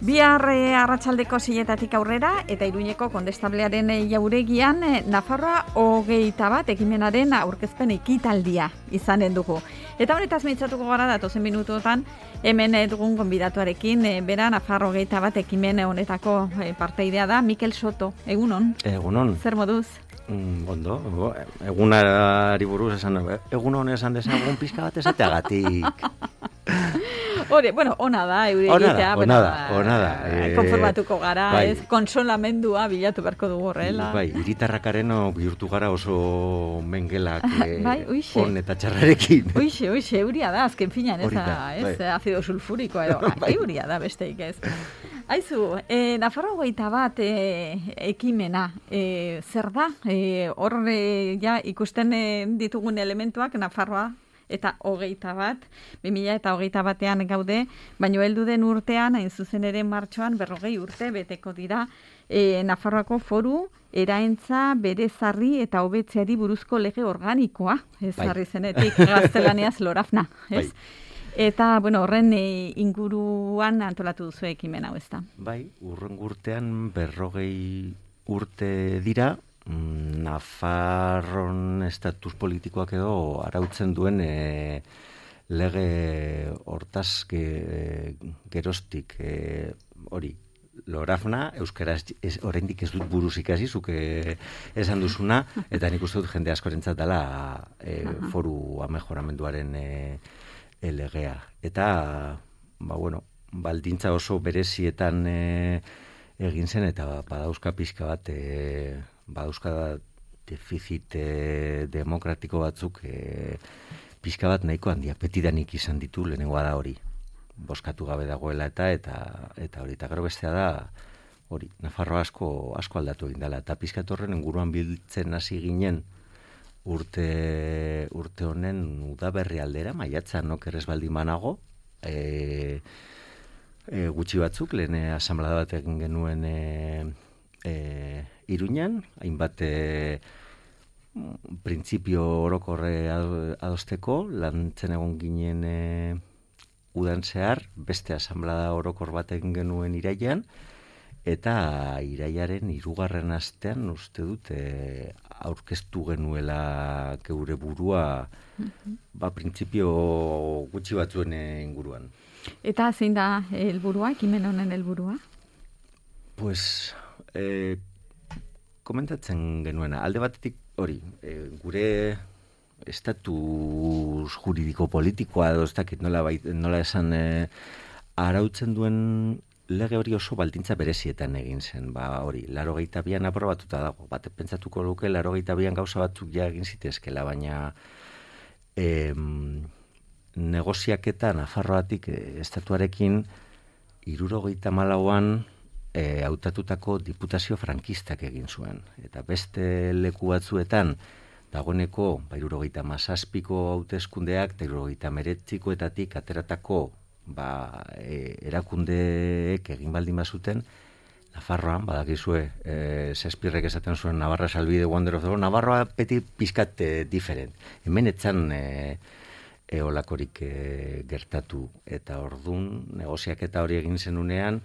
Bihar arratsaldeko 6:00 aurrera eta Iruñeko kondestablearen jauregian Nafarroa 21 ekimenaren aurkezpen ekitaldia izanen dugu. Eta honetaz mintzatuko gara datozen minutuetan hemen dugun gonbidatuarekin, bera Nafarroa 21 ekimen honetako parteidea da Mikel Soto. Egunon? Egunon. Zer moduz? Ondo, egunari buruz egunon esan dezagun pizka bat esateagatik. Ona da, egitea. Ona da. Konformatuko gara, bai. Konsolamendua bilatu beharko dugu horrela. Bai, hiritarrakaren bihurtu gara oso mengelak bai, on eta txarrarekin. Uixe, euria da, azken finan, ez azido sulfurikoa edo, euria da besteik ez. Aizu, Nafarroa 21 ekimena, zer da? Hor ja ikusten ditugun elementuak Nafarroa eta 21, 2021 gaude, baino heldu den urtean, hain zuzen ere martxoan 40 urte beteko dira Nafarroako foru eraentza berezarri eta hobetzeari buruzko lege organikoa, ezarri zenetik gaztelaniaz LORAFNA, ez? Bai. Eta, horren inguruan antolatu duzu ekimen hau, ez da? Bai, urrengo urtean 40 urte dira, Nafarron estatus politikoak edo arautzen duen lege hortaz geroztik hori. LORAFNA, euskaraz oraindik ez dut buruz ikasi, zuk esan duzuna, eta nik uste dut jende askorentzat dela foru amejoramenduaren legea. Eta, baldintza oso berezietan egin zen, eta badauzka pixka bat, badauzka defizit demokratiko batzuk pixka bat nahiko handia, petidanik izan ditu, lehenengoa da hori. Boskatu gabe dagoela eta hori. Eta gero bestea da, hori, Nafarroa asko aldatu egin dela. Eta pixka horren inguruan biltzen hasi ginen, urte honen udaberri aldera, maiatzan okerrez baldin banago, gutxi batzuk, lehen asamblea bat egin genuen Iruñan, hainbat printzipio orokorre adosteko, lantzen egon ginen udan zehar, beste asamblea orokor bat egin genuen irailean, eta irailaren 3. astean uste dut aurkeztu genuela geure burua printzipio gutxi batzuen inguruan. Eta zein da helburua, ekimen honen helburua? Pues komentatzen genuena, alde batetik hori, gure estatus juridiko politikoa edo ez dakit nola esan arautzen duen lege hori oso baldintza berezietan egin zen, hori, 82an aprobatuta dago, pentsatuko luke 82an gauza batzuk ja egin zitezkela, baina negoziaketa Nafarroatik estatuarekin 74an hautatutako diputazio frankistak egin zuen, eta beste leku batzuetan dagoeneko 77ko hauteskundeak, 79koetatik ateratako erakundeek egin baldin bazuten, Nafarroan, badakizue, Shakespearek esaten zuen Navarra shall be the wonder of the world, Navarroa beti pizkat diferent. Hemen etzan eolakorik gertatu, eta ordun negoziaketa hori egin zenunean,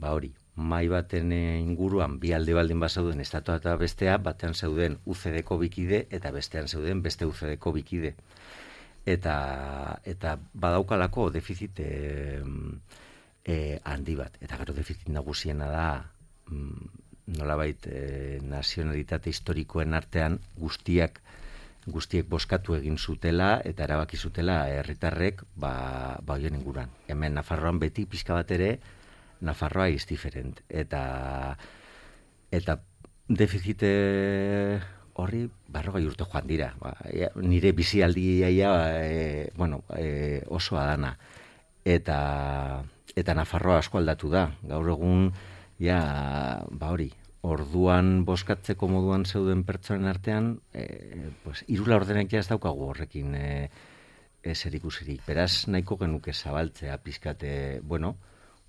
hori, mai baten inguruan bi alde baldin bazauden estatua eta bestea, batean zeuden UCD-ko bikide eta bestean zeuden beste UCD-ko bikide. Eta badaukalako defizit handi bat. Eta gero defizit nagusiena da nolabait nazionalitate historikoen artean guztiek boskatu egin zutela eta erabaki zutela herritarrek hoien inguruan. Hemen Nafarroan beti pixka bat ere Nafarroa is different. Eta defizit horri 40 urte joan dira. Nire bizialdia oso adana. Eta Nafarroa asko aldatu da. Gaur egun, hori, orduan boskatzeko moduan zeuden pertsonen artean, 3 laurdenek ez daukagu horrekin zerikusirik. Beraz, nahiko genuke zabaltzea pizkate,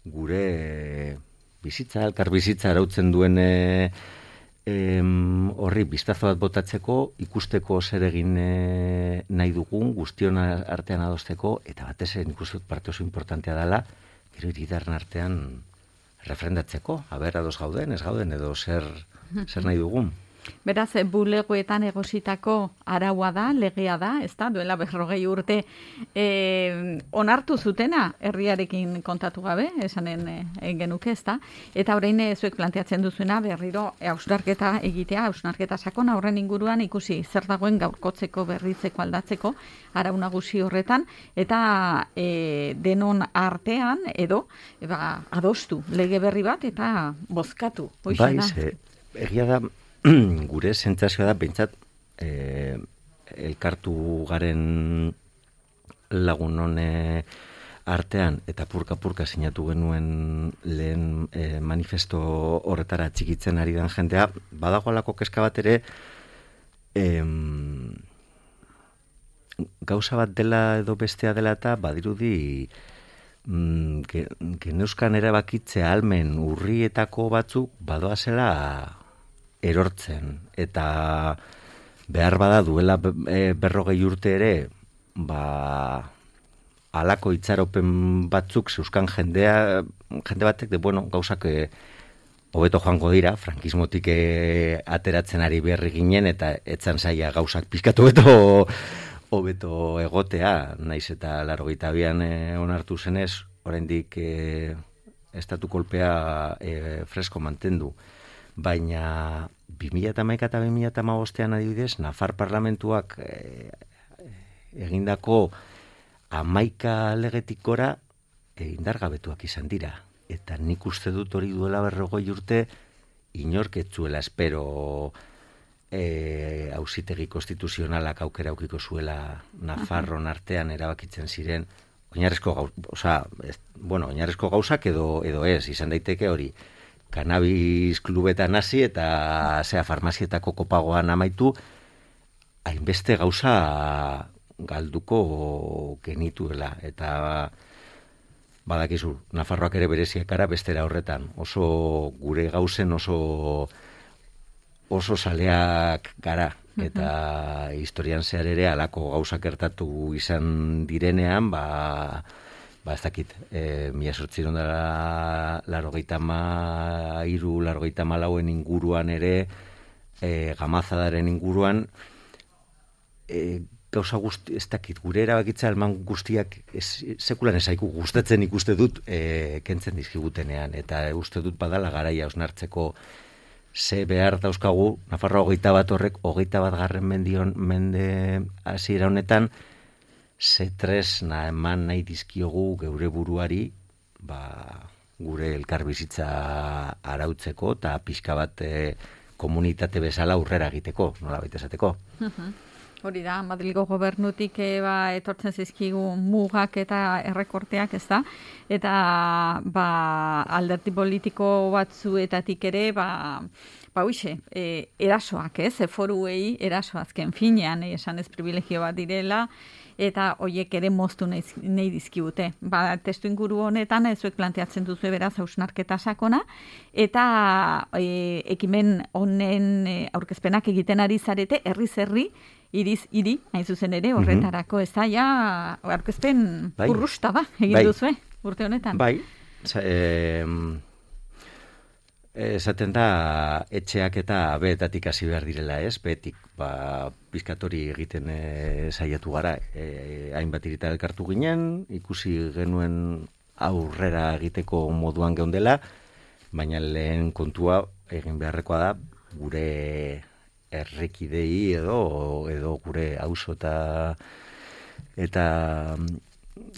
gure bizitza, elkar bizitza arautzen duen horri biztazo bat botatzeko, ikusteko zer egin nahi dugun, guztion artean adosteko, eta batez nik uste dut parte oso importantea dela, gero hiritarren artean refrendatzeko, aber ados gauden, ez gauden, edo zer nahi dugun. Beraz, bulegoetan egositako araua da, legea da, ez da, duela 40 urte onartu zutena herriarekin kontatu gabe, esanen genuke, ez da, eta orain zuek planteatzen duzuena berriro hausnarketa egitea, hausnarketa sakona horren inguruan ikusi zer dagoen gaurkotzeko, berritzeko, aldatzeko, arau nagusi horretan, eta denon artean edo adostu lege berri bat eta bozkatu. Bai, egia da, gure sentsazioa da, behintzat, elkartu garen lagunon artean, eta purka-purka sinatu genuen lehen manifesto horretara txikitzen ari den jendea, badagoalako kezka bat ere, gauza bat dela edo bestea dela eta badirudi geneuzkan erabakitze ahalmen urrietako batzuk badoazela erortzen, eta behar bada duela 40 urte ere, halako itxaropen batzuk zeuzkan jende batek, gauzak hobeto joango dira, frankismotik ateratzen ari berri ginen, eta etzan zaila gauzak pizkatu hobeto egotea, naiz eta 82an onartu zenez, oraindik estatu kolpea fresko mantendu. Baina 2011 eta 2015 adibidez, Nafar parlamentuak egindako 11 legetik gora indargabetuak izan dira. Eta nik uste dut hori duela 40 urte inork ez zuela espero auzitegi konstituzionalak aukera aukiko zuela Nafarron artean erabakitzen ziren oinarrizko gauzak edo ez, izan daiteke hori. Cannabis klubetan hasi eta farmazietako kopagoan amaitu, hainbeste gauza galduko genituela. Eta badakizu, Nafarroak ere bereziak gara bestera horretan. Oso gure gauzen oso saleak gara. Eta historian zehar ere halako gauzak gertatu izan direnean, ez dakit, 1983-1984 inguruan ere, Gamazadaren inguruan, gauza guzti, ez dakit, gure erabakitza alman guztiak sekulan ezaiku gustatzen ikuste dut kentzen dizkigutenean, eta uste dut badala garaia osnartzeko ze behar dauzkagu, Nafarroa 21 horrek, 21 mende hasiera honetan, ze tresna eman nahi dizkiogu geure buruari, gure elkarbizitza arautzeko eta pixka bat komunitate bezala aurrera egiteko, nola baita esateko. Hori da, Madrilgo gobernutik etortzen zizkigu mugak eta errekorteak, ez da? Eta alderdi politiko batzuetatik ere, erasoak, ez? Foruei erasoazken finean, esan ez privilegio bat direla, eta hoiek ere moztu nahi dizkibute. Testu inguru honetan, zuek planteatzen duzu beraz hausnarketa sakona, eta ekimen honen aurkezpenak egiten ari zarete, herriz herri, iriz hiri, hain zuzen ere, horretarako, ez da, aurkezpen urrusta egin duzue, urte honetan. Bai, esaten da, etxeak eta beetatik hasi behar direla, ez? Beetik, bizkatori egiten saiatu gara, hainbat irita elkartu ginen, ikusi genuen aurrera egiteko moduan geundela, baina lehen kontua egin beharrekoa da, gure errekidei edo gure auzo eta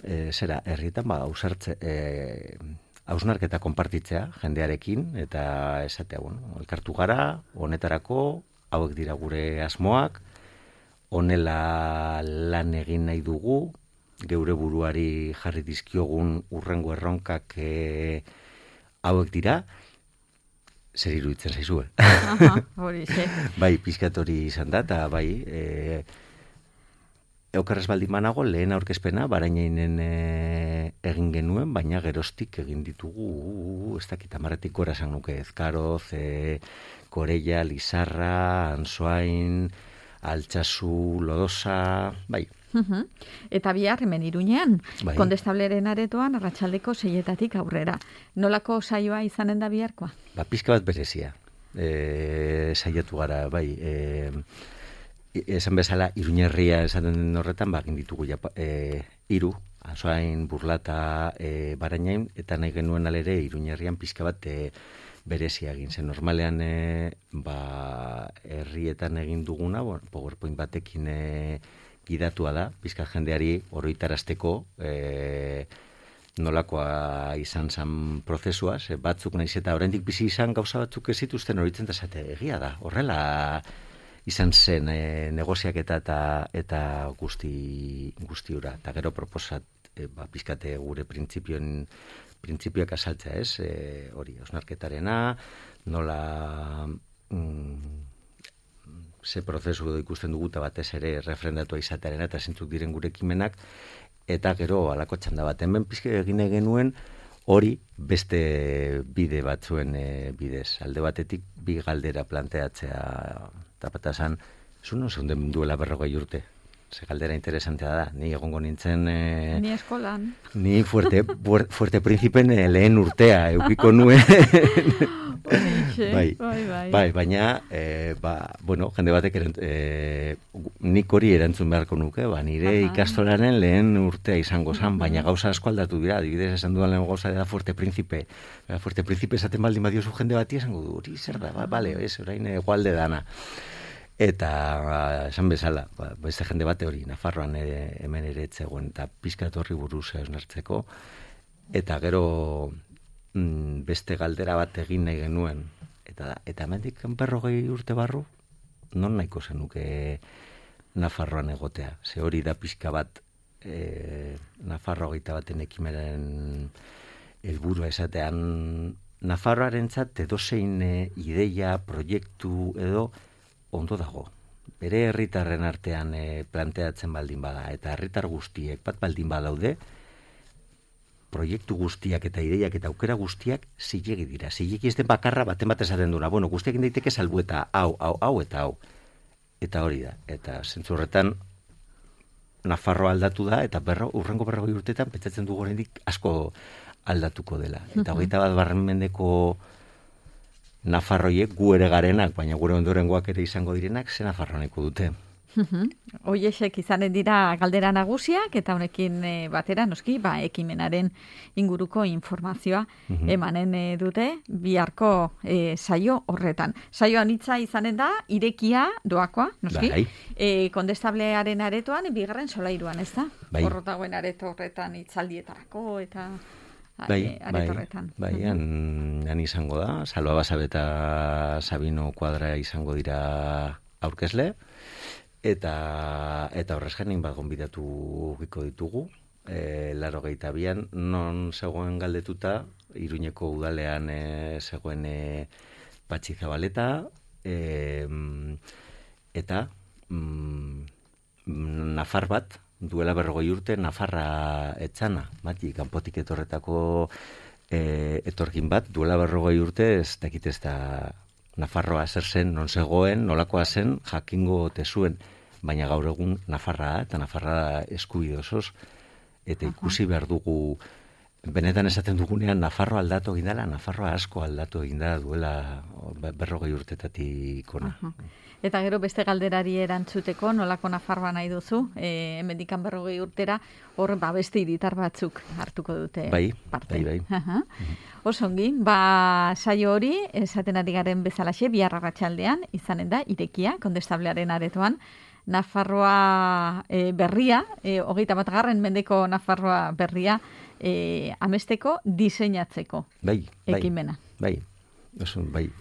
herrietan hausnarketa konpartitzea jendearekin eta esatea, elkartu gara, honetarako, hauek dira gure asmoak, honela lan egin nahi dugu, geure buruari jarri dizkiogun urrengo erronkak hauek dira, zer iruditzen zaizue. Hori, ze. Bai, pizkat hori izan da, eta bai, eukarrez baldin banago, lehen aurkezpena, barainainen egin genuen, baina geroztik egin ditugu, ez dakit, amaretik gora esan nuke, Ezkaroz, Koreia, Lizarra, Ansoain, Altsasu, Lodosa, bai, Eta bihar hemen Iruñean, Bai. Kondestableren aretoan arratsaldeko 6 aurrera. Nolako saioa izanen da biharkoa? Pizka bat berezia. Saiatu gara, bai, esan bezala, Iruñerria esaten den horretan, egin ditugu 3, Asoain, Burlata, Barainain, eta nahi genuen alere Iruñerrian pizka bat berezia egin zen. Normalean, herrietan egin duguna, PowerPoint batekin gidatua da, pizka jendeari oroitarazteko, nolakoa izan zen prozesua, batzuk nahiz eta oraindik bizi izan gauza batzuk ez zituzten horitzen da zate, egia da, horrela izan zen negoziaketa eta guztiura. Eta gero proposat, pizkate gure printzipioak asaltzea, ez? Hori, osnarketarena, nola ze prozesu ikusten dugu eta batez ere refrendatua izatearena eta zintzuk diren gure ekimenak, eta gero alako txanda bat. Hemen pizke egin genuen hori beste bide batzuen bidez. Alde batetik bi galdera planteatzea tapatazan, zuno zeunden duela 40 urte. Ze galdera interesantea da. Ni egongo nintzen... Ni eskolan. Ni fuerte principen lehen urtea eukiko nuen. Bai, baina, jende batek nik hori erantzun beharko nuke, nire ikastolaren lehen urtea izango zen, baina gauza asko aldatu dira, adibidez esan dudan lehen gauza da fuerte principe. Fuerte principe esaten baldin badiozu jende bati esango du, hori zer da, bale, orain egualde dana. Eta esan bezala, beste jende bate hori, Nafarroan hemen ere etzegoen, eta pizkat horri buruz eusnartzeko, eta gero beste galdera bat egin nahi genuen, eta hemendik 40 urte barru, non nahiko zenuke Nafarroan egotea. Ze hori da pizka bat Nafarroa 21 ekimenen helburua esatean, Nafarroarentzat edozein ideia, proiektu edo ondo dago. Bere herritarren artean planteatzen baldin bada, eta herritar guztiek bat baldin badaude, proiektu guztiak eta ideiak eta aukera guztiak zilegi dira. Zilegi ez den bakarra baten bat esaten duna. Guztiak daiteke salbu eta hau eta hau. Eta hori da. Eta zentzu horretan Nafarroa aldatu da, eta urrengo 40 urtetan pentsatzen dugu oraindik asko aldatuko dela. Eta 21. mendeko Nafarroiek gu ere garenak, baina gure ondorengoak ere izango direnak, ze Nafarroaneko dute. Hoiexek izanen dira galdera nagusiak, eta honekin batera, noski, ekimenaren inguruko informazioa emanen dute biharko saio horretan. Saioan hitza izanen da, irekia doakoa, noski, Kondestablearen aretoan, 2. solairuan, ez da? Horrotagoen areto horretan hitzaldietarako, eta... aretorretan. Han izango da, Salva Basabe eta Sabino Kuadra izango dira aurkezle, eta horrez gain bat gonbidatu giko ditugu, 82an, non zegoen galdetuta, Iruñeko udalean zegoen Patxi Zabaleta, eta Nafar bat, duela 40 urte, Nafarra etzana, kanpotik etorretako etorkin bat, duela 40 urte, ez dakit ez da Nafarroa zer zen, non zegoen, nolakoa zen, jakingo tezuen, baina gaur egun Nafarra, eta Nafarra eskubide osoz, eta ikusi behar dugu, benetan esaten dugunean, Nafarroa aldatu egin dela, Nafarroa asko aldatu egin da duela 40 urtetatik ona. Eta gero beste galderari erantzuteko, nolako Nafarroa nahi duzu, hemendikan 40 urtera, hor beste hiritar batzuk hartuko dute parte. Bai. Osongi, saio hori, esaten ari garen bezalaxe, bihar arratsaldean izanen da, irekia, Kondestablearen aretoan, Nafarroa berria, 21. mendeko Nafarroa berria, amesteko diseinatzeko ekimena. Bai,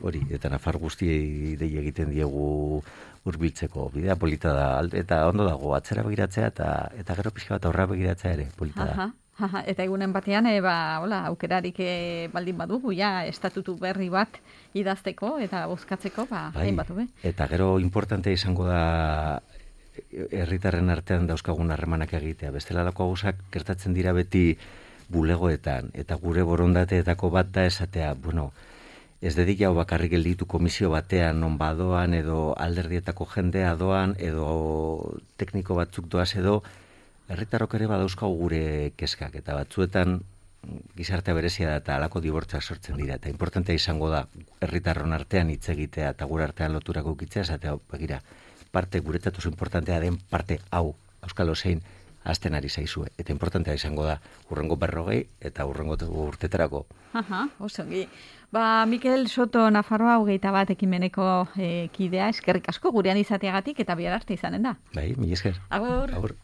hori, eta Nafar guztiei dei egiten diegu hurbiltzeko bidea polita da, eta ondo dago atzera begiratzea eta gero pixka bat aurra begiratzea ere polita da. Eta egunen batean, aukerarik baldin badugu, estatutu berri bat idazteko eta bozkatzeko, hain batu be. Eta gero importante izango da herritarren artean dauzkagun harremanak egitea. Bestelalako gauzak gertatzen dira beti bulegoetan, eta gure borondateetako bat da esatea, ez dedik jau bakarrik gelditu komisio batean, non badoan, edo alderdietako jendea doan, edo tekniko batzuk doaz edo, herritarrok ere badauzkagu gure kezkak, eta batzuetan gizartea berezia da eta halako dibortzak sortzen dira. Eta importantea izango da herritarron artean hitz egitea eta gure artean loturako ukitzea, esatea, begira, parte guretzat oso importantea den parte hau, auskalo zein, azten ari zaizue. Eta importantea izango da hurrengo 40 eta hurrengo urtetarako. Osongi. Mikel Soto, Nafarroa 21 ekimeneko kidea, eskerrik asko gurean izateagatik eta bihar arte izanen da. Bai, mila esker. Agur. Agur.